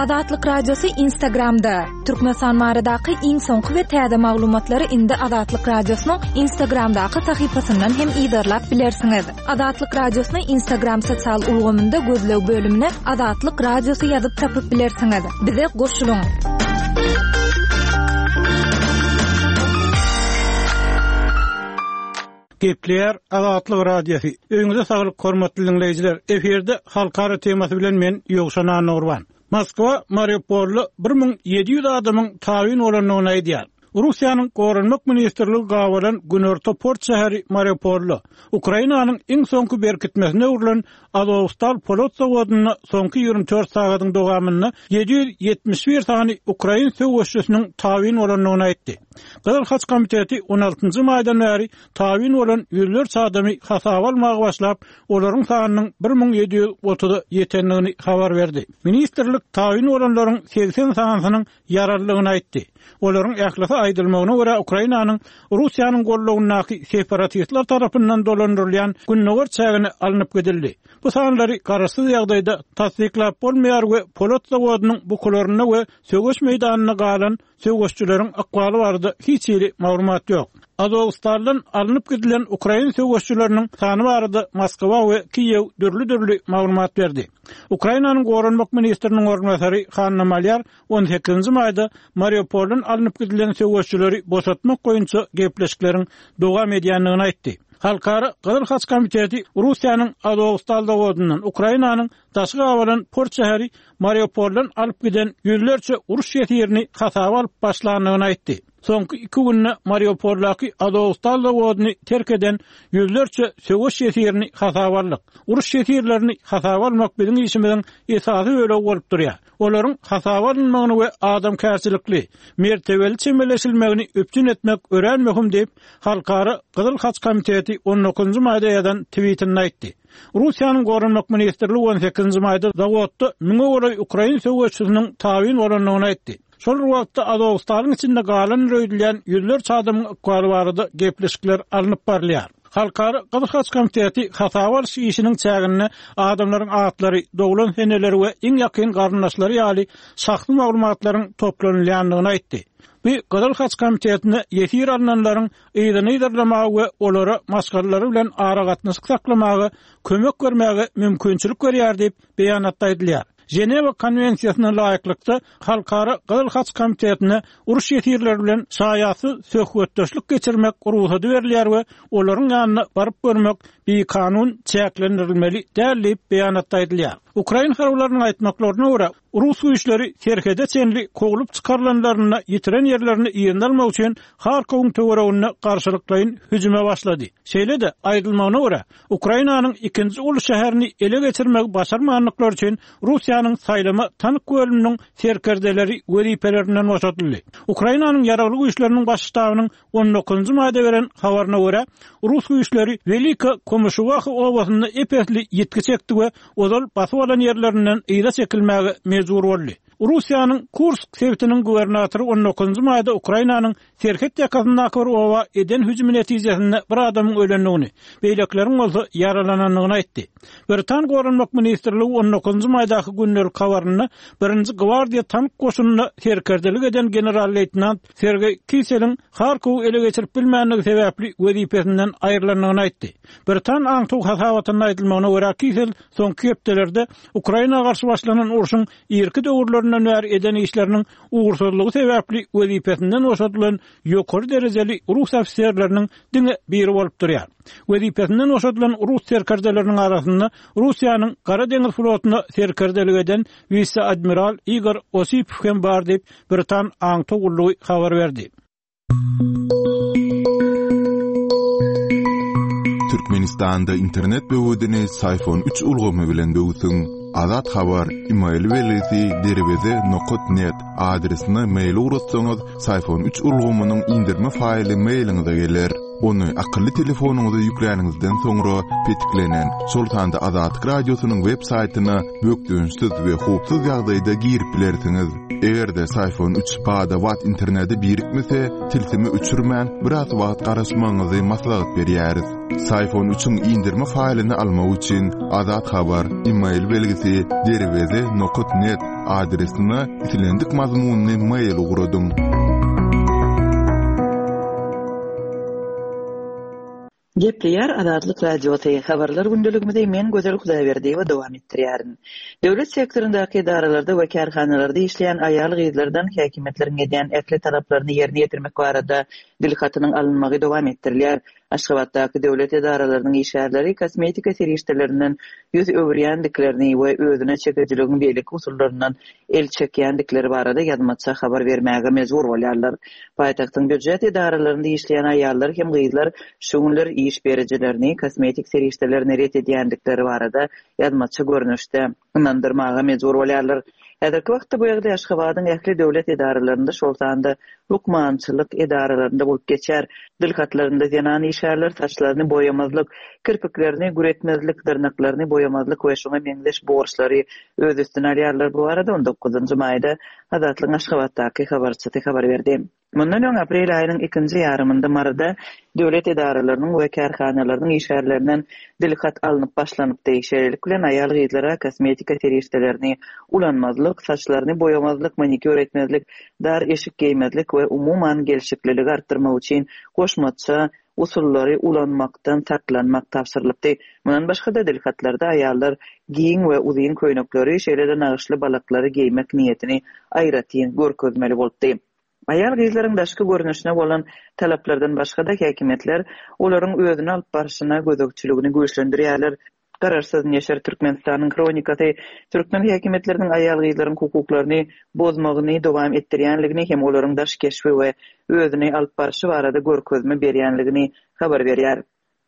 Azatlyk Radiosy Instagramda! Türkmenistan baradaky iň soňky we täze maglumatlary indi Azatlyk Radiosynyň Instagramdaky sahypasyndan hem yzarlap bilersiňiz. Azatlyk Radiosyny Instagram sosial ulgamynda gözleg bölümine Azatlyk Radiosy ýazyp tapyp bilersiňiz. Bize goşulyň! Gepleýär Azatlyk Radiosy. Öýüňize saglyk hormatly diňleýjiler. Efirde halkara temasy bilen men Ýowşan Annagurban. Moskwa Mariupolda 1700 adamyň tabyn bolandygyny aýdýar. Russiýanyň Goranmak ministrligi gabalan günorta port şäheri Mariupolda, Ukrainanyň iň soňky berkitmesine öwrülen Azowstal polat zawodynda soňky 24 sagadyň dowamynda 771 sany ukrain söweşçisiniň tabyn bolandygyny aýtdy. Gyzyl Haç komiteti on altynjy maýdan bäri tabyn bolan ýüzlerçe adamy hasaba almaga başlap, olaryň sanynyň 1730-a ýetendigini habar berdi. Ministrlik tabyn bolanlaryň 80 sanysynyň ýaralydygyny aýtdy. Olaryň ählisi aýdylmagyna görä Ukrainanyň Russiýanyň gollagyndaky separatistler tarapyndan dolandyrylýan gündogar çägine alnyp gidildi. Bu sanlary garaşsyz ýagdaýda tassyklap bolmaýar we polat zawodynyň bukularynda we söweş meýdanynda galan söweşçileriň ykbaly barada hiç hili maglumat ýok. Azowstaldan alnyp gidilen ukrain söweşçileriniň sany barada Moskwa we Kiýew dürli-dürli maglumat berdi. Ukrainanyň goranmak ministriniň orunbasary Hanna Malýar on sekizinji maýda Mariupoldan alnyp gidilen söweşçileri boşatmak boýunça gepleşikleriň dowam edýändigini aýtdy. Halkara Gyzyl Haç komiteti Russiýanyň Azowstal zawodyndan Ukrainanyň daşy gabalan port şäheri Mariupoldan alyp giden ýüzlerçe uruş ýesirini hasaba alyp başlandygyny aýtdy. Soňky iki günde Mariupoldaky Azowstal zawodyny terk eden ýüzlerçe söweş ýesirini hasaba aldyk. Uruş ýesirlerini hasaba almak biziň işimiziň esasy bölegi bolup durýar. Olaryň hasaba alynmagyny we adamkärçilikli, mertebeli çemeleşilmegini üpjün etmek örän möhüm diýip, Halkara Gyzyl Haç komiteti on dokuzynjy maýda ýazan twitinde aýtdy. Russiýanyň Goranmak ministrligi on sekizinji maýda zawodda müňe golaý ukrain söweşçisiniň tabyn bolandygyny aýtdy. Şol bir wagtda Azowstalyň içinde galandyr öýdülýän ýüzlerçe adamyň ykbaly barada gepleşikler alnyp barylýar. Halkara Gyzyl Haç komiteti hasaba alyş işiniň çäginde adamlaryň atlary, doglan seneleri we iň ýakyn garyndaşlary ýaly şahsy maglumatlaryň toplanylýandygyny aýtdy. Bu Gyzyl Haç komitetine ýesir alnanlaryň yzyny yzarlamaga we olara maşgalalary bilen aragatnaşyk saklamaga kömek bermäge mümkinçilik berýär diýip, beýanatda aýdylýar. Ženewa konwensiýasyna laýyklykda, Halkara Gyzyl Haç komitetine uruş ýesirleri bilen şaýatsyz söhbetdeşlik geçirmek rugsady berilýär we olaryň ýanyna baryp görmek bikanun çäklendirilmeli däl diýip, beýanatda aýdylýar. Ukrain harbylarynyň aýtmaklaryna görä, Rus güýçleri serhede çenli kowlup çykarylanlarynda ýitiren ýerlerini yzyna almak üçin Harkowyň töwereginde garşylyklaýyn hüjüme başlady. Şeýle-de, aýdylmagyna görä, Ukrainanyň ikinji uly şäherini ele geçirmegi başarmandyklary üçin Russiýanyň saýlama tank bölüminiň serkerdeleri wezipelerinden boşadyldy. Ukrainanyň Ýaragly Güýçleriniň Baş ştabynyň On dokuzynjy maýda beren habaryna görä, rus güýçleri Welika Komuşuwaha obasynda ep-esli ýitgi çekdi we ozal basyp alan ýerlerinden yza çekilmäge mejbur boldy. Russiýanyň Kursk sebitiniň gubernatory on dokuzynjy maýda Ukrainanyň serhet ýakasyndaky bir oba eden hüjümi netijesinde bir adamyň ölendigini, beýlekileriň bolsa ýaralanandygyny aýtdy. Britan Goranmak ministrligi on dokuzynjy maýdaky gündelik habarynda Birinji gwardiýa tank goşunynda serkerdelik eden general-leýtenant Sergeý Kiseliň Harkowy ele geçirip bilmändigi sebäpli wezipesinden aýrylandygyny aýtdy. Britan aňtaw hasabatynda aýdylmagyna görä, Kisel soňky hepdelerde Ukraina garşy başlanan urşuň irki döwürlerinden bäri eden işleriniň ugursyzlygy sebäpli wezipesinden boşadylan ýokary derejeli rus ofiserleriniň diňe biri bolup durýar. Wezipesinden boşadylan rus serkerdeleriniň arasynda Russiýanyň Gara deňiz flotuna serkerdelik eden wise-admiral Igor Osipow hem bar diýip, Britan aňtaw gullugy habar berdi. Türkmenistanda internet böwedini Syfon üç ulgamy bilen böwsüň. Azat Habar, email belgisi derweze nokat net adresine mail ugratsaňyz, Syfon üç ulgamynyň indirme faýly mailiňize geler. Ony akylly telefonyňyza ýükläniňizden soňra petiklenen, şol sanda Azatlyk Radiosynyň web saýtyna bökdençsiz we howpsuz ýagdaýda girip bilersiňiz. Eger-de Syfon 3 bada-bat internete birikmese, tilsimi öçürmän, biraz wagt garaşmagyňyzy maslahat berýäris. Syfon 3-iň indirme faýlyny almak üçin Azat Habar, e-mail belgisi derweze nokat net adresine islendik mazmunly mail ugradyň. Gepleýär Azatlyk Radiosy, Habarlar gündeligimizi men Gözel Hudaýberdiýewa dowam etdirýärin. Döwlet sektoryndaky edaralarda we kärhanalarda işleýän aýal-gyzlardan häkimiýetleriň edýän ähli talaplaryny ýerine ýetirmek barada dilhatynyň alynmagy dowam etdirilýär. Aşgabatdaky döwlet edaralarynyň işgärleri kosmetika serişdelerinden ýüz öwürýändiklerini we özüne çekijiligiň beýleki usullaryndan el çekýändikleri barada ýazmaça habar bermäge mejbur bolýarlar. Paýtagtyň býujet edaralarynda işleýän aýallar hem gyzlar şu günler iş berijilerini kosmetik serişdelerini ret edýändikleri barada ýazmaça görnüşde ynandyrmaga mejbur bolýarlar. Häzirki wagtda bu ýagdaý Aşgabadyň ähli döwlet edaralarynda, şol sanda lukmançylyk edaralarynda bolup geçýär. Dilhatlarynda zenan işgärler saçlaryny boýamazlyk, kirpiklerini güretmezlik, dyrnaklaryny boýamazlyk we şuňa meňzeş borçlary öz üstüne alýarlar. Bu barada on dokuzynjy maýda Azatlygyň Aşgabatdaky habarçysy habar berdi. Mundan öň, aprel aýynyň ikinji ýarymynda Maryda döwlet edaralarynyň we kärhanalarynyň işgärlerinden dilhat alnyp başlanypdy. Şeýlelik bilen, aýal-gyzlara kosmetika serişdelerini ulanmazlyk, saçlaryny boýamazlyk, manikýur etmezlik, dar eşik geýmezlik we umuman gelşikliligi artdyrmak üçin goşmaça usullary ulanmakdan saklanmak tabşyrylypdy. Mundan başga-da, dilhatlarda aýallar giň we uzyn köýnekleri, şeýle-de nagyşly balaklary geýmek niýetini aýratyn görkezmeli bolupdy. Aýal-gyzlaryň daşky görnüşine bolan talaplardan başga-da, häkimiýetler olaryň özüni alyp barşyna gözegçiligini güýçlendirýärler. Garaşsyz neşir Türkmenistanyň Hronikasy türkmen häkimiýetleriniň aýal-gyzlaryň hukuklaryny bozmagyny dowam etdirýänligini hem olaryň daş keşbi we özüni alyp barşy barada görkezme berýänligini habar berýär.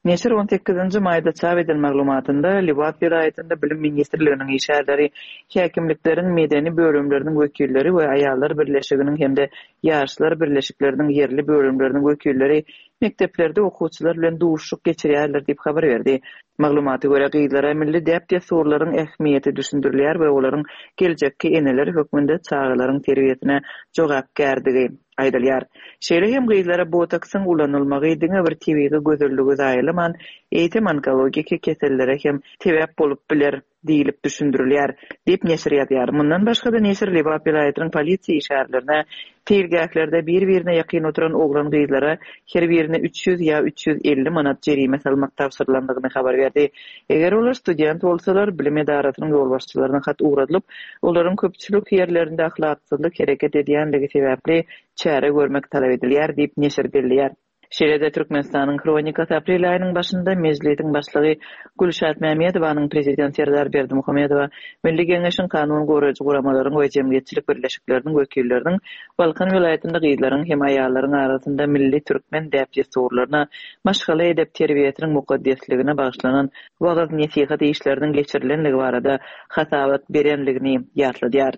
Neşir on sekizinji maýda çap eden maglumatynda Lebap welaýatynda Bilim ministrliginiň işgärleri, häkimlikleriň medeni bölümleriniň wekilleri we Aýallar birleşiginiň hem-de Ýaşlar birleşikleriniň ýerli bölümleriniň wekilleri mekdeplerde okuwçylar bilen duşuşyk geçirýärler diýip habar berdi. Maglumata görä, gyzlara milli däp-dessurlaryň ähmiýeti düşündirilýär we olaryň geljekki eneler hökmünde çagalaryň terbiýesine jogapkärdigi aýdylýar. Şeýle hem gyzlara botoksyň ulanylmagy diňe bir tebigy gözelligi zaýalaman, eýsem onkologiki kesellere hem sebäp bolup biler. Diýlip düşündirilýär, diýip, neşir ýazýar. Mundan başga-da, neşir Lebap welaýatynyň polisiýa işgärlerine seýilgählerde bir-birine ýakyn oturan oglan-gyzlara her birine 300 ýa 350 manat jerime salmak tabşyrylandygyny habar berdi. Eger olar student bolsalar, bilim edarasynyň ýolbaşçylaryna hat ugradylyp, olaryň köpçülik ýerlerinde ahlaksyzlyk hereket edýänligi sebäpli çäre görmek talap edilýär, diýip, neşir belleýär. Şeýle-de Türkmenistanyň Hronikasy aprel aýynyň başynda Mejlisiň Başlygy Gülşat Mämedowanyň Prezident Serdar Berdimuhamedowa Milli Geňeşiň kanun goraýjy guramalaryň we jemgyýetçilik birleşikleriniň wekilleriniň Balkan welaýatynda gyzlaryň hem aýallaryň arasynda milli türkmen däp-dessurlaryna, maşgala edep-terbiýesiniň mukaddesligine bagyşlanan wagyz-nesihat işleriniň geçirilenligi barada hasabat berenligini ýatladýar.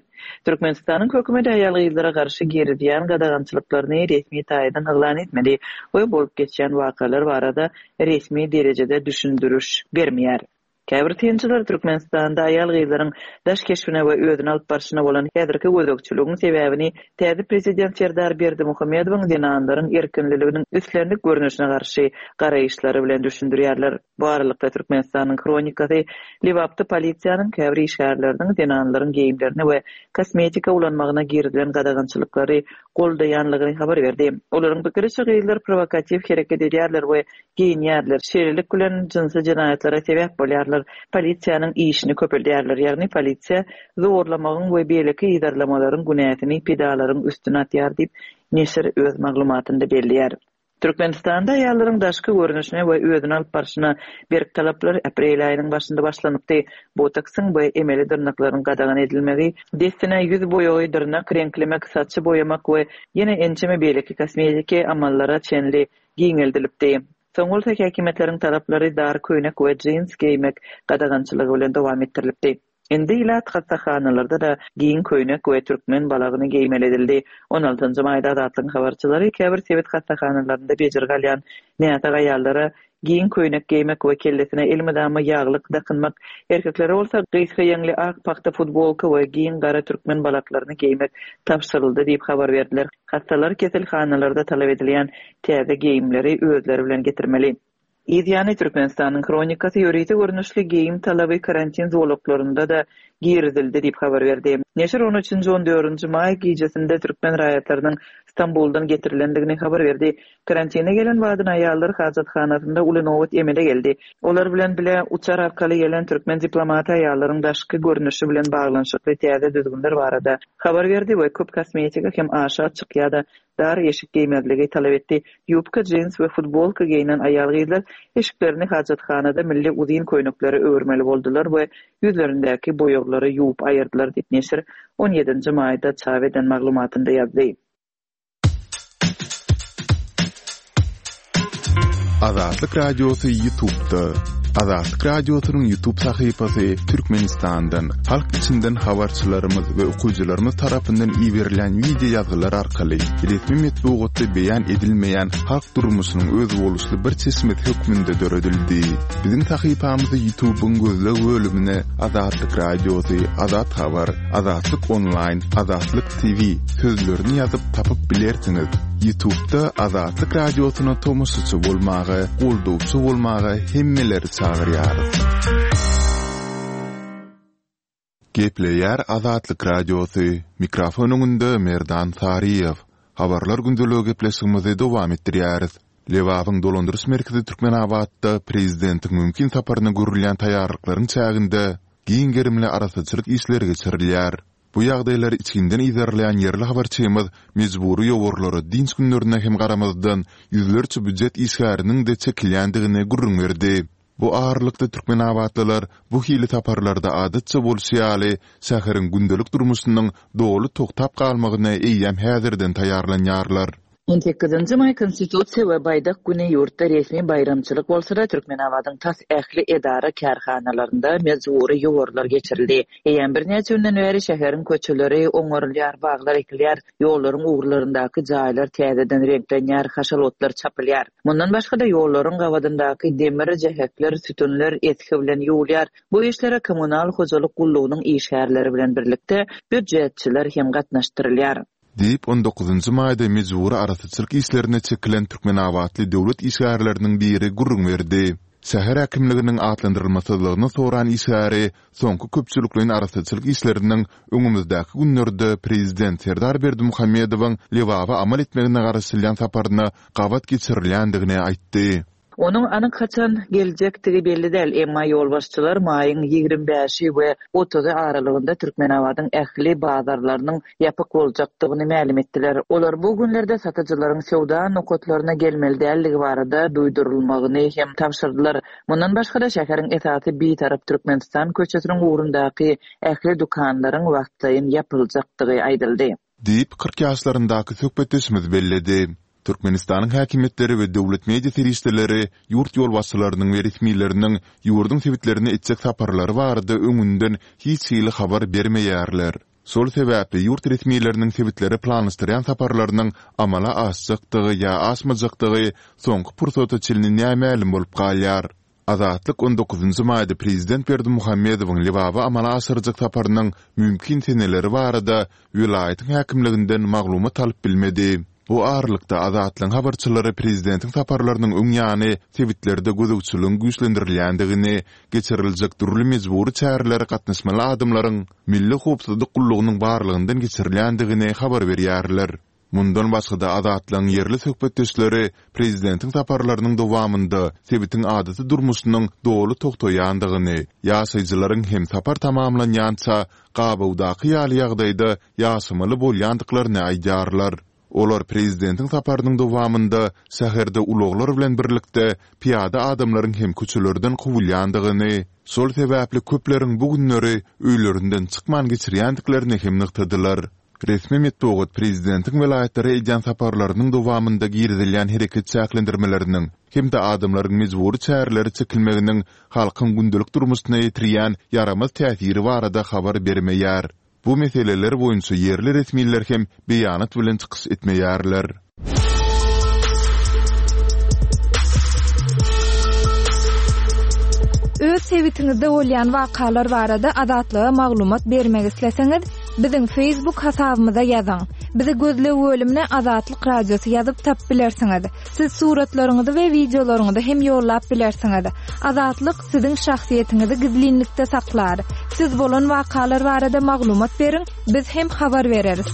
Türkmenistanyň hökümeti aýal-gyzlara garşy girizýän gadagançylyklaryny resmi taýdan yglan etmedi we bolup geçýän wakalar barada resmi derejede düşündiriş bermeýär. Käbir synçylar Türkmenistanda aýal-gyzlaryň daş keşbine we özüni alyp barşyna bolan häzirki gözegçiligiň sebäbini täze prezident Serdar Berdimuhamedowyň zenanlaryň erkinliliginiň islendik görnüşine garşy garaýyşlary bilen düşündirýärler. Bu aralykda, Türkmenistanyň Hronikasy Lebapda polisiýanyň käbir işgärleriniň zenanlaryň geýimlerine we kosmetika ulanmagyna girizilen gadagançylyklary goldaýanlygyny habar berdi. Olaryň pikiriçe, gyzlar prowokatiw hereket edýärler we geýinýärler, şeýlelik bilen, jynsy jenaýatlara sebäp bolýarlar, polisiýanyň işini köpeldýärler, ýagny polisiýa zorlamagyň we beýleki yzarlamalaryň günäsini pidalaryň üstüne atýar diýip, neşir öz maglumatynda belleýär. Türkmenistanda aýallaryň daşky görnüşine we özüni alyp barşyna berk talaplar aprel aýynyň başynda başlanypdy. Botoksyň we emeli dyrnaklaryň gadagan edilmegi, dessine ýüz boýagy, dyrnak reňklemek, saçy boýamak we ýene ençeme beýleki kosmetiki amallara çenli giňeldilipdi. Soň bolsa häkimiýetleriň talaplary dar köýnek we jins geýmek gadagançylygy bilen dowam etdirilipdi. Indi ilat hassahanalarda-da giň köýnek we türkmen balagyny geýmeli edildi. On altynjy maýda Azatlygyň habarçylary käbir sebit hassahanalarynda bejergi alýan näsag aýallara giň köýnek geýmek we kellesine elmydama ýaglyk dakynmak, erkeklere bolsa gysga ýeňli ak pagta futbolka we giň gara türkmen balaklaryny geýmek tabşyryldy diýip habar berdiler. Hassalar keselhanalarda talap edilýän täze geýimleri özleri bilen getirmeli. Yz ýany, Türkmenistanyň Hronikasy ýörite görnüşli geýim talaby karantin zolaklarynda-da girizildi diýip habar berdi. Neşir on üçünji, on dördünji maý gijesinde türkmen raýatlarynyň Stambuldan getirilendigini habar berdi. Karantine gelen badyna aýallar hajathanasynda uly nobat emele geldi. Olar bilen bile uçar arkaly gelen türkmen diplomaty aýallaryň daşky görnüşi bilen baglanyşykly täze düzgünler barada habar berdi we köp kosmetika hem aşa açyk ýa-da dar eşik geýmezligi talap etdi. Ýubka, jins we futbolka geýnen aýal-gyzlar eşiklerini hajathanada milli uzyn köýneklere öwürmeli boldular we ýüzlerindäki boýaglary ýuwup aýyrdylar diýip, neşir on ýedinji maýda çap eden maglumatynda ýazdy. Azatlyk Radiosy Ýutubda Azatlyk Radiosynyň Ýutub sahypasy Türkmenistandan, halk içinden habarçylarymyz we okyjylarymyz tarapyndan iberilýän wideo ýazgylar arkaly resmi metbugatda beýan edilmeýän halk durmuşynyň özboluşly bir çeşmesi hökmünde döredildi. Biziň sahypamyzy Ýutubyň gözleg bölümine Azatlyk Radiosy, Azat Habar, Azatlyk Onlaýn, Azatlyk TV sözlerini ýazyp tapyp bilersiňiz. Ýutubda Azatlyk Radiosyna tomaşaçy bolmaga, goldawçy bolmaga hemmeleri çagyrýarys. Gepleýär Azatlyk Radiosy, mikrofon öňünde Merdan Saryýew. Habarlar gündeligi gepleşigimizi dowam etdirýäris. Lebabyň dolandyryş merkezi Türkmenabatda prezidentiň mümkin saparyna görülýän taýýarlyklaryň çäginde giň gerimli arassaçylyk işleri geçirilýär. Bu ýagdaýlary içginden yzarlaýan ýerli habarçymyz mejbury ýowarlara dynç günlerine hem garamazdan, ýüzlerçe býujet işgäriniň-de çekilýändigini gürrüň berdi. Bu aralykda türkmenabatlylar bu hili saparlarda adatça bolşy ýaly, şäheriň gündelik durmuşynyň doly togtap galmagyna eýýäm häzirden taýýarlanýarlar. On sekizinji maý Konstitusiýa we Baýdak güni ýurtda resmi baýramçylyk bolsa-da, Türkmenabadyň tas ähli edara-kärhanalarynda mejbury ýowarlar geçirildi. Eýýäm birnäçe günden bäri şäheriň köçeleri oňarylýar, baglar ekilýär, ýollaryň ugurlaryndaky jaýlar täzeden reňklenýär, haşal otlar çapylýar. Mundan başga-da, ýollaryň gabadyndaky demir jähekler, sütünler esgi bilen ýuwulýar. Bu işlere kommunal hojalyk gullugynyň işgärleri bilen birlikde býujetçiler hem gatnaşdyrylýar. Diýip, on dokuzynjy maýda mejbury arassaçylyk işlerine çekilen türkmenabatly döwlet işgärleriniň biri gürrüň berdi. Şäher häkimliginiň atlandyrylmasyzlygyny soran işgäri soňky köpçülikleýin arassaçylyk işleriniň öňümizdäki günlerde prezident Serdar Berdimuhamedowyň Lebaba amal etmegine garaşylýan saparyna gabat geçirilýändigini aýtdy. Onuň anyk haçan geljekdigi belli däl, emma ýolbaşçylar maýyň 25 bäşi we otuzy aralygynda Türkmenabadyň ähli bazarlarynyň ýapyk boljakdygyny mälim etdiler. Olar bu günlerde satyjylaryň söwda nokatlaryna gelmeli däldigi barada duýdurylmagyny hem tabşyrdylar. Mundan başga-da, şäheriň esasy Bitarap Türkmenistan köçesiniň ugrundaky ähli dükanlaryň wagtlaýyn ýapyljakdygy aýdyldy. Diýip, 40 ýaşlaryndaky söhbetdeşimiz belledi. Türkmenistanyň häkimiýetleri we döwlet media serişdeleri ýurt ýolbaşçylarynyň we resmileriniň ýurduň sebitlerine etjek saparlary barada öňünden hiç hili habar bermeýärler. Şol sebäpli ýurt resmileriniň sebitlere planlaşdyrýan saparlarynyň amala aşjakdygy ýa aşmajakdygy soňky pursata çenli nämälim bolup galýar. Azatlyk on dokuzynjy maýda prezident Berdimuhamedowyň Lebaba amala aşyrjak saparynyň mümkin seneleri barada welaýatyň häkimliginden maglumat alyp bilmedi. Bu aralykda, Azatlygyň habarçylary prezidentiň saparlarynyň öň ýany sebitlerde gözegçiligiň güýçlendirilýändigini, geçiriljek dürli mejbury çärelere gatnaşmaly adamlaryň Milli howpsuzlyk gullugynyň barlagyndan geçirilýändigini habar berýärler. Mundan başga-da, Azatlygyň ýerli söhbetdeşleri prezidentiň saparlarynyň dowamynda sebitiň adaty durmuşynyň doly togtaýandygyny, ýaşaýjylaryň hem sapar tamamlanýança gabawdaky ýaly ýagdaýda ýaşamaly bolýandyklaryny aýdýarlar. Olar prezidentiň saparynyň dowamynda şäherde ulaglar bilen birlikde pyýada adamlaryň hem köçelerden kowulýandygyny, şol sebäpli köpleriň bu günleri öýlerinden çykman geçirýändiklerini hem nygtadylar. Resmi metbugat prezidentiň welaýatlara edýän saparlarynyň dowamynda girizilýän hereket çäklendirmeleriniň hem-de adamlaryň mejbury çärelere çekilmeginiň halkyň gündelik durmuşyna ýetirýän ýaramaz täsiri barada habar bermeýär. Bu meseleler boýunça ýerli resmiler hem beýanat bilen çykyş etmeýärler. Öz sebitiňizde bolýan wakalar barada Azatlyga maglumat bermek isleseňiz, biziň Facebook hasabymyza ýazyň. Bizi gözleg bölümine Azatlyk Radiosy ýazyp tapyp bilersiňiz. Siz suratlaryňyzy we wideolaryňyzy hem ýollap bilersiňiz. Azatlyk siziň şahsyýetiňizi gizlinlikde saklar. Siz bolan wakalar barada maglumat beriň, biz hem habar bereris.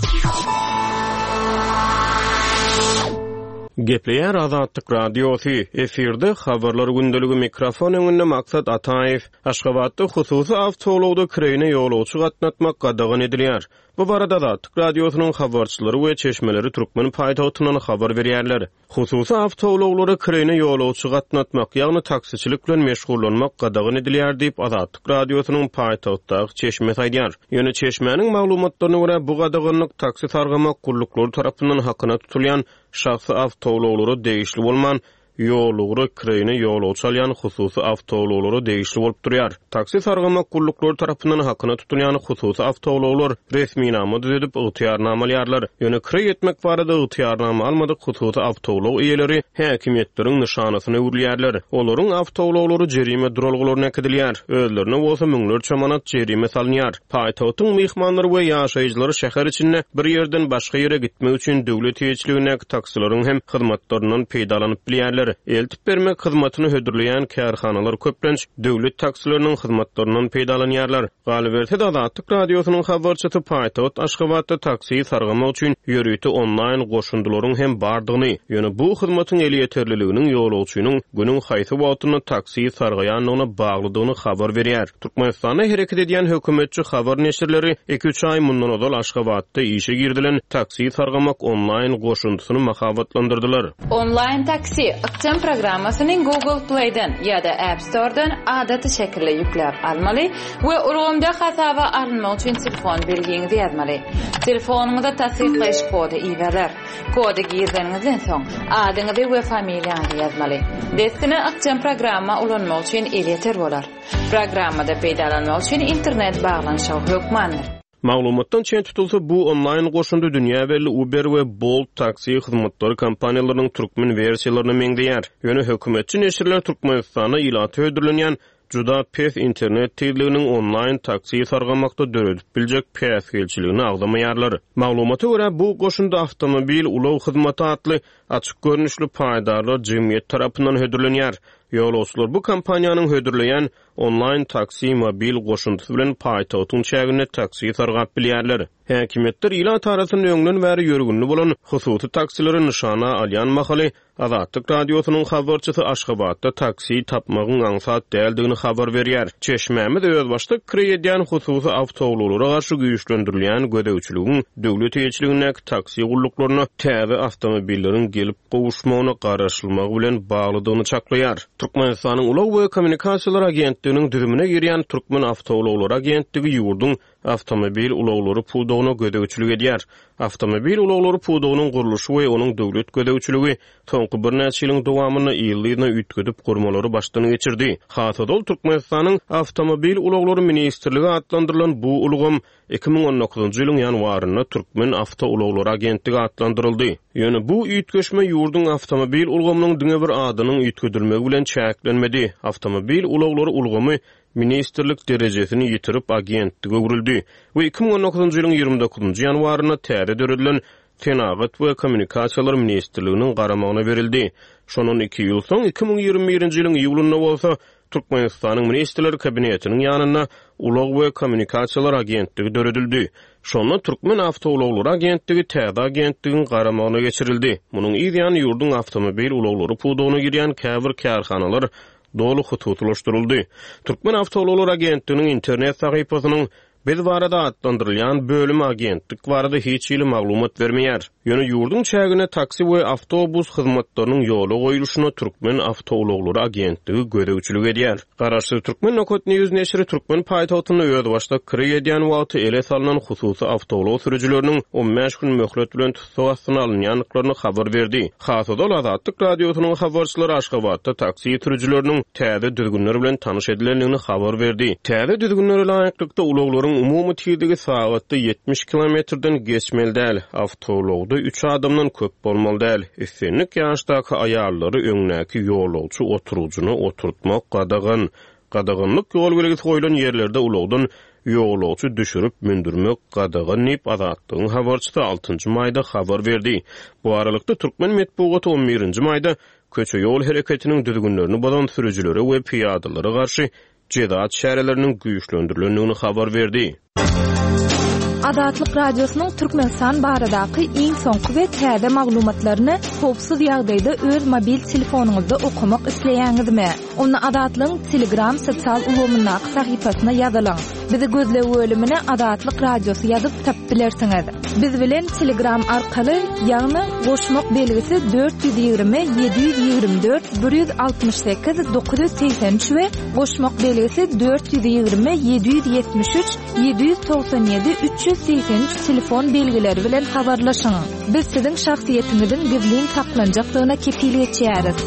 Gepleýär Azatlyk Radiosy, efirde Habarlar gündeligi mikrofon öňünde Maksat Ataýew. Aşgabatda hususy awtoulagda kireýine ýolagçy gatnatmak gadagan edilýär. Bu barada Azatlyk Radiosynyň habarçylary we çeşmeleri türkmen paýtagtyndan habar berýärler. Hususy awtoulaglara kireýine ýolagçy gatnatmak, ýagny taksiçilik bilen meşgullanmak gadagan edilýär diýip, Azatlyk Radiosynyň paýtagtdaky çeşmesi aýdýar. Ýöne çeşmäniň maglumatlaryna görä, bu gadaganlyk taksi sargamak gulluklary tarapyndan hakyna tutulýan şahsy awtoulaglara degişli bolman, ýolugra kireýine ýolagçy alýan hususy awtoulaglara degişli bolup durýar. Taksi sargamak gulluklary tarapyndan hakyna tutulýan hususy awtoulaglar resminama düzedip, ygtyýarnama alýarlar. Ýöne kireý etmek barada ygtyýarnama almadyk hususy awtoulag eýeleri häkimiýetleriň nyşanasyna öwrülýärler. Olaryň awtoulaglary jerime duralgalaryna äkidilýär, özlerine bolsa müňlerçe manat jerime salynýar. Paýtagtyň myhmanlary we ýaşaýjylary şäher içinde bir ýerden başga ýere gitmek üçin döwlet eýeçiligindäki taksileriň hem hyzmatlaryndan peýdalanyp bilýärler. Eltip bermek hyzmatyny hödürleýän kärhanalar köplenç döwlet taksileriniň hyzmatlaryndan peýdalanýarlar. Galyberse-de, Azatlyk Radiosynyň habarçysy paýtagt Aşgabatda taksi sargamak üçin ýörite onlaýn goşundylaryň hem bardygyny, ýöne bu hyzmatyň elýeterliliginiň ýolagçynyň günüň haýsy wagtynda taksi sargaýandygyna baglydygyny habar berýär. Türkmenistanda hereket edýän hökümetçi habar neşirleri iki-üç aý mundan ozal Aşgabatda işe girizilen taksi sargamak onlaýn goşundysyny mahabatlandyrdylar. Onlaýn taksi ykjam programmasyny Google Play-den ýa-da App Store-dan adaty şekilde ýükläp almaly we ulgamda hasaba alynmak üçin telefon belgiňizi ýazmaly. Telefonyňyza tassyklaýyş kody iberiler. Kody girizeniňizden soň, adyňyzy we familiýaňyzy ýazmaly. Dessine ykjam programma ulanmak üçin elýeter bolar. Programmada peýdalanmak üçin internet baglanyşygy hökmandyr. Maglumatdan çen tutulsa, bu onlaýn goşundy dünýä belli Uber we Bolt taksi hyzmatlary kompaniýalarynyň türkmen wersiýalaryna meňzeýär. Ýöne hökümetçi neşirler Türkmenistanda ilata hödürlenýän juda pes internet tizliginiň onlaýn taksi sargamakda döredip biljek päsgelçiligini agzamaýarlar. Maglumata görä, bu goşundy Awtomobil ulag hyzmaty atly açyk görnüşli paýdarlar jemgyýeti tarapyndan hödürlenýär. Ýolagçylar bu kompaniýanyň hödürleýän onlaýn taksi mobil goşundysy bilen paýtagtyň çäginde taksi sargap bilýärler. Häkimiýetler ilat arasynda öňden bäri ýörgünli bolan hususy taksileri nyşana alýan mahaly, Azatlyk Radiosynyň habarçysy Aşgabatda taksi tapmagyň aňsat däldigini habar berýär. Çeşmämiz özbaşdak kireý edýän hususy awtoulaglara garşy güýçlendirilýän gözegçiligiň döwlet eýeçiligindäki taksi gulluklaryna täze awtomobilleriň gelip gowuşmagyna garaşylmagy bilen baglydygyny çaklaýar. Türkmenistanyň Ulag we kommunikasiýalar agentliginiň düzümine girýän Türkmenawtoulaglary agentligi ýurduň awtomobil ulaglary pudagyna gözegçilik edýär. Awtomobil ulaglary pudagynyň gurluşy we onuň döwlet gözegçiligi soňky birnäçe ýylyň dowamynda yzly-yzyna üýtgedip gurmalary başdan geçirdi. Has ozal Türkmenistanyň Awtomobil ulaglary ministrligi atlandyrylan bu ulgam 2019-njy ýylyň ýanwarynda Türkmenawtoulaglary agentligi atlandyryldy. Ýöne bu üýtgeşme ýurduň awtomobil ulgamynyň diňe bir adynyň üýtgedilmegi bilen çäklenmedi. Awtomobil ulaglary ulgamy ministrlik derejesini ýitirip agentlige öwrüldi we 2019-njy ýylyň 29-njy ýanwarynda täze döredilen Senagat we kommunikasiýalar ministrliginiň garamagyna berildi. Şondan iki ýyl soň, 2021-nji ýylyň iýulynda bolsa, Türkmenistanyň Ministrler Kabinetiniň ýanynda Ulag we kommunikasiýalar agentligi döredildi. Şonda Türkmenawtoulaglary agentligi täze agentligiň garamagyna geçirildi. Munuň yz ýany ýurduň awtomobil ulaglary pudagyna girýän käbir kärhanalar doly hususylaşdyryldy. Türkmenawtoulaglary agentliginiň internet sahypasynyň. Biz barada atlandyrylýan bölümi agentlik barada hiç hili maglumat bermeýär. Ýöne ýurduň çäginde taksi we awtobus hyzmatlarynyň ýola goýluşyna Türkmen awtoulaglary agentligi gözegçilik edýär. Garaşsyz Türkmen Nokat News neşiri türkmen paýtagtynda özbaşdak kireý edýän wagty ele salnan hususy awtoulag sürüjileriniň on bäş gün möhlet bilen tussag astyna alynýandyklaryny habar berdi. Has ozal Azatlyk Radiosynyň habarçylary Aşgabatda taksi sürüjileriniň täze düzgünler bilen tanyş edilendigini habar berdi. Täze düzgünlere laýyklykda, ulaglaryň umumy tizligi sagatda 70 kilometrden geçmeli däl, awtoulagda üç adamdan köp bolmaly däl, islendik ýaşdaky aýallary öňdäki ýolagçy oturgyjyna oturtmak gadagan, Gadaganlyk ýol belgisi goýlan ýerlerde ulagdan ýolagçy düşürip mündürmek gadagan diýip, Azatlygyň habarçysy altynjy maýda habar berdi. Bu aralykda, türkmen metbugaty on birinji maýda köçe-ýol hereketiniň düzgünlerini bozan sürüjilere we pyýadalara garşy jeza çäreleriniň güýçlendirilendigini habar berdi. Azatlyk Radiosynyň Türkmenistan baradaky iň soňky we täze maglumatlaryny howpsuz ýagdaýda öz mobil telefonyňyzda okamak isleýäňizmi? Onda Azatlygyň Telegram sosial ulgamyndaky sahypasyna ýazylyň. Bizi gözleg bölümine Azatlyk Radiosy ýazyp tapyp bilersiňiz. Biz bilen Telegram arkaly, ýagny goşmak belgisi 420 724 168 983 we goşmak belgisi 420 773 797 383 telefon belgileri bilen habarlaşyň. Biz siziň şahsyýetiňiziň gizlin saklanjakdygyna kepil geçýäris.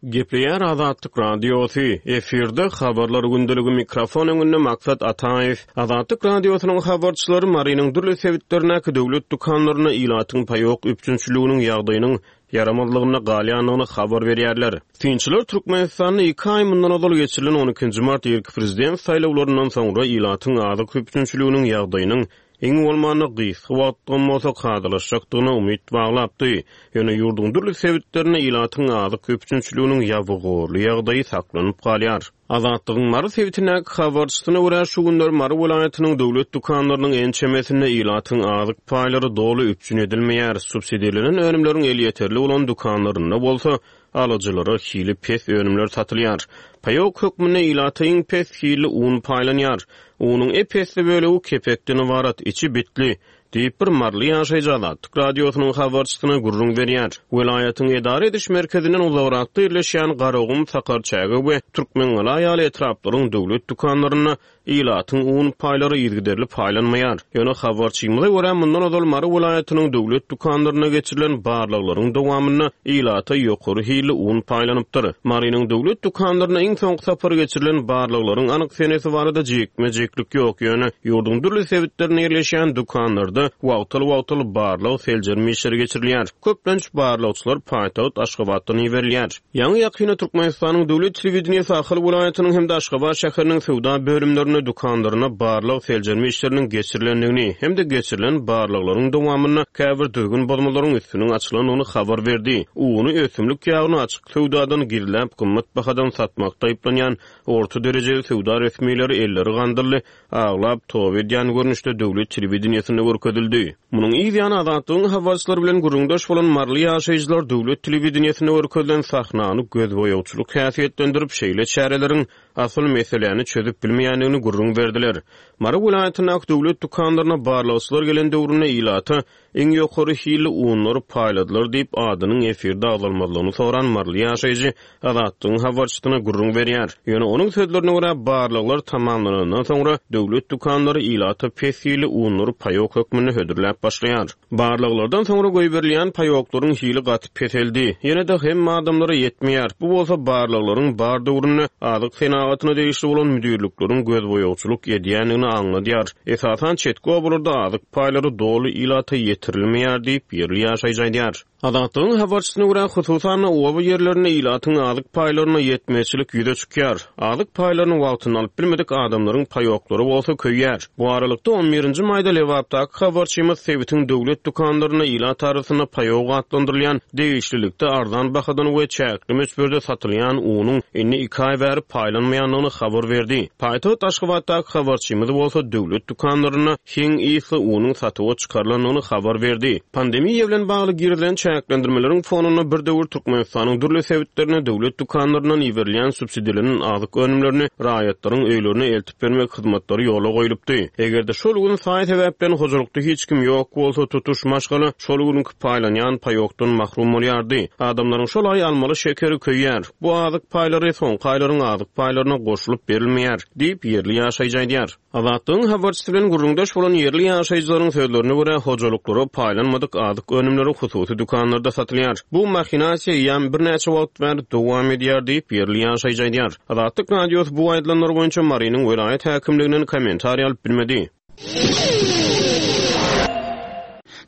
Gepleýär Azatlyk Radiosy, efirde Habarlar gündeligi mikrofon öňünde Maksat Ataýew. Azatlyk Radiosynyň habarçylary Marynyň dürli sebitlerindäki döwlet dükanlarynda ilatyň paýok üpjünçiliginiň ýagdaýynyň ýaramazlygynda galýandygyny habar berýärler. Synçylar Türkmenistanda iki aý mundan ozal geçirilen on ikinji mart irki prezident saýlawlaryndan soňra ilatyň azyk üpjünçiliginiň ýagdaýynyň iň bolmanda gysga wagtlygam bolsa kadalaşjakdygyna umyt baglapdy. Ýöne ýurduň dürli sebitlerinde ilatyň azyk üpjünçiliginiň ýabygorly ýagdaýy saklanyp galýar. Azatlygyň Mary sebitindäki habarçysyna görä, şu günler Mary welaýatynyň döwlet dükanlarynyň ençemesinde ilatyň azyk paýlary doly üpjün edilmeýär, subsidirlenen önümleriň elýeterli bolan dükanlarynda bolsa, alyjylara hili pes önümler satylýar. Paýok hökmünde ilata iň pes hilli un paýlanýar. Unuň ep-esli bölegi kepekden ybarat, içi bitli, diýip, bir maryly ýaşaýjy Azatlyk Radiosynyň habarçysyna gürrüň berýär. Welaýatyň edara ediş merkezinden uzagrakda ýerleşýän Garagum, Sakarçäge we Türkmengala ýaly etraplaryň döwlet dükanlarynda Ilatyň un paýlary yzygiderli paýlanmaýar. Ýöne habarçymyza görä, mundan ozal Mary welaýatynyň döwlet dükanlarynda geçirilen barlaglaryň dowamynda ilata ýokary hilli un paýlanypdyr. Marynyň döwlet dükanlarynda iň soňky sapar geçirilen barlaglaryň anyk senesi barada jikme-jiklik ýok, ýöne ýurduň dürli sebitlerinde ýerleşýän dükanlarda wagtal-wagtal barlag-seljerme işleri geçirilýär. Köplenç barlagçylar paýtagt Aşgabatdan iberilýär. Ýaňy-ýakynda Türkmenistanyň döwlet telewideniýesi Ahal welaýatynyň hem-de Aşgabat şäheriniň söwda bölümlerinde dükanlarynda barlag-seljerme işleriniň geçirilendigini hem-de geçirilen barlaglaryň dowamynda käbir düzgün bozmalaryň üstüniň açylandygyny habar berdi. Uny, ösümlik ýagyny açyk söwdadan gizläp, gymmat bahadan satmakda aýyplanýan orta derejeli söwda resmileri elleri gandylly, aglap toba edýän görnüşde döwlet telewideniýesinde görkezildi. Munuň yz ýany Azatlygyň habarçylary bilen gürrüňdeş bolan maryly ýaşaýjylar döwlet telewideniýesinde görkezilen sahnany gözboýagçylyk häsiýetlendirip, şeýle çäreleriň asyl meseläni çözüp bilmeýändigini gürrüň berdiler. Mary welaýatyndaky döwlet dükanlaryna barlagçylar gelen döwründe ilata Iň ýokary hilli unlary paýladylar diýip, adynyň efirde agzalmazlygyny soran maryly ýaşaýjy Azatlygyň habarçysyna gürrüň berýär. Ýöne onuň sözlerine görä, barlaglar tamamlanandan soňra, döwlet dükanlary ilata pes hilli unlary paýok hökmünde hödürläp başlaýar. Barlaglardan soňra goýberilýän paýoklaryň hili gaty peseldi. Ýene-de hemme adamlara ýetmeýär. Bu bolsa barlaglaryň bar döwründe azyk senagatyna degişli bolan müdirlikleriň gözboýagçylyk edýändigini aňladýar. Esasan çetki obalarda azyk paýlary doly ilata ýetirilmeýär diýip, ýerli ýaşaýjy aýdýar. Azatlygyň habarçysyna görä, hususan-da, oba ýerlerinde ilatyň azyk paýlaryna ýetmezçilik ýüze çykýar. Azyk paýlaryny wagtynda alyp bilmedik adamlaryň paýoklary bolsa köýýär. Bu aralykda, on birinji maýda Lebapdaky habarçymyz sebitiň döwlet dükanlarynda ilat arasynda paýok atlandyrylýan degişlilikde arzan bahadan we çäkli möçberde satylýan unuň indi iki aý bäri paýlanmaýandygyny habar berdi. Paýtagt Aşgabatdaky habarçymyz bolsa döwlet dükanlarynda heň ysly unuň satuwa çykarylandygyny habar berdi. Pandemiýa bilen bagly girizilen. çäklendirmeleriň fonunda bir döwür Türkmenistanyň dürli sebitlerine döwlet dükanlaryndan iberilýän subsidirlenen azyk önümlerini raýatlaryň öýlerine eltip bermek hyzmatlary ýola goýlupdy. Eger-de şol gün saý-sebäpden hojalykda hiç kim ýok bolsa, tutuş maşgala şol günki paýlanýan paýokdan mahrum bolýardy. Adamlaryň şol aý almaly şekeri köýýär. Bu azyk paýlary soňky aýlaryň azyk paýlaryna goşulyp berilmeýär, diýip, ýerli ýaşaýjy aýdýar. Azatlygyň habarçysy bilen gürrüňdeş bolan ýerli ýaşaýjylaryň sözlerine görä, hojalyklara paýlanmadyk azyk önümleri hususy dükanlarda satylýar. Bu mahinasiýa eýýäm birnäçe wagt bäri dowam edýär diýip, ýerli ýaşaýjy aýdýar. Azatlyk Radiosy bu aýdylanlar boýunça Marynyň welaýat häkimliginden kommentariý alyp bilmedi.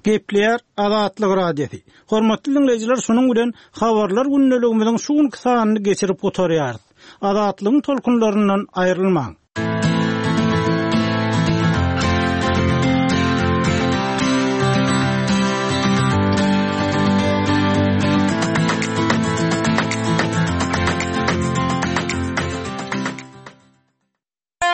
Gepleýär Azatlyk Radiosy. Hormatly diňleýjiler, şunuň bilen Habarlar gündeligimiziň şu günki sanyny geçirip gutarýarys. Azatlygyň tolkunlaryndan aýrylmaň!